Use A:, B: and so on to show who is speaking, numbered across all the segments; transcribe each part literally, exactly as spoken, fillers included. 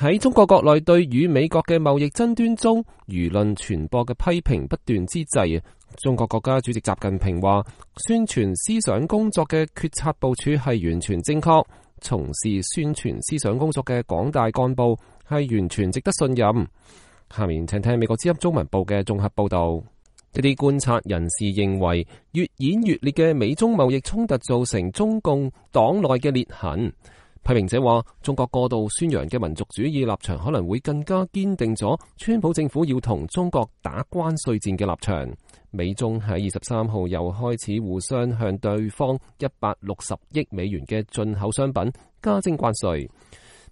A: 喺中國國內對與美國嘅貿易爭端中，輿論傳播嘅批評不斷之際，中國國家主席習近平話：宣傳思想工作嘅決策部署係完全正確，從事宣傳思想工作嘅廣大幹部係完全值得信任。下面請聽美國之音中文部嘅綜合報道。一啲觀察人士認為，越演越烈嘅美中貿易衝突造成中共黨內嘅裂痕。批評者話，中國過度宣揚嘅民族主義立場可能會更加堅定咗川普政府要同中國打關稅戰嘅立場。美中喺二十三號又開始互相向對方一百六十億美元嘅進口商品加徵關稅。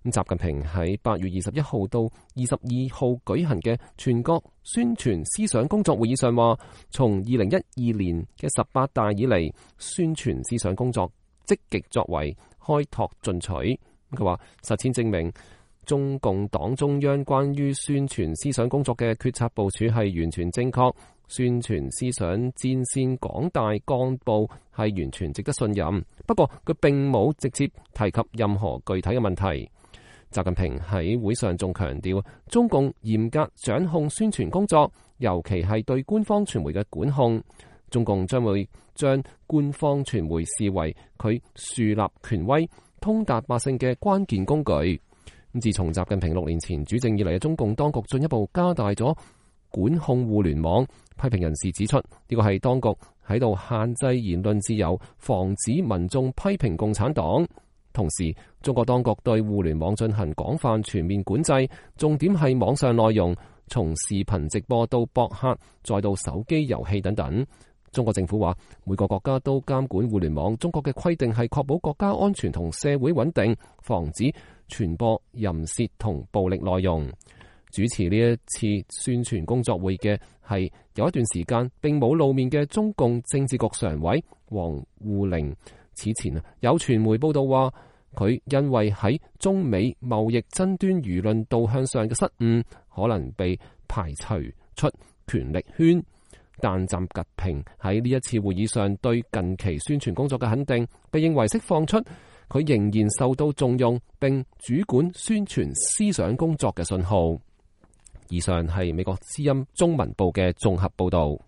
A: 習近平喺八月二十一號到二十二號舉行嘅全國宣傳思想工作會議上話，從二零一二年嘅十八大以嚟，宣傳思想工作積極作為，開拓進取。佢話實踐證明，中共黨中央關於宣傳思想工作嘅決策部署係完全正確，宣傳思想戰線廣大幹部係完全值得信任。不過佢並冇直接提及任何具體嘅問題。習近平喺會上仲強調，中共嚴格掌控宣傳工作，尤其係對官方傳媒嘅管控。中共將會將官方傳媒視為佢樹立權威、通達百姓嘅關鍵工具。自從習近平六年前主政以嚟嘅中共當局進一步加大咗管控互聯網。批評人士指出，呢個係當局喺度限制言論自由，防止民眾批評共產黨。同時，中國當局對互聯網進行廣泛全面管制，重點係網上內容，從視頻直播到博客，再到手機遊戲等等。中國政府話，每個國家都監管互聯網，中國嘅規定係確保國家安全同社會穩定，防止傳播淫褻同暴力內容。主持呢一次宣傳工作會嘅係有一段時間並冇露面嘅中共政治局常委王滬寧。此前啊，有傳媒報道話，佢因為喺中美貿易爭端輿論導向上嘅失誤，可能被排除出權力圈。但習近平喺呢一次會議上對近期宣傳工作嘅肯定，被認為釋放出佢仍然受到重用並主管宣傳思想工作嘅信號。以上係美國之音中文部嘅綜合報道。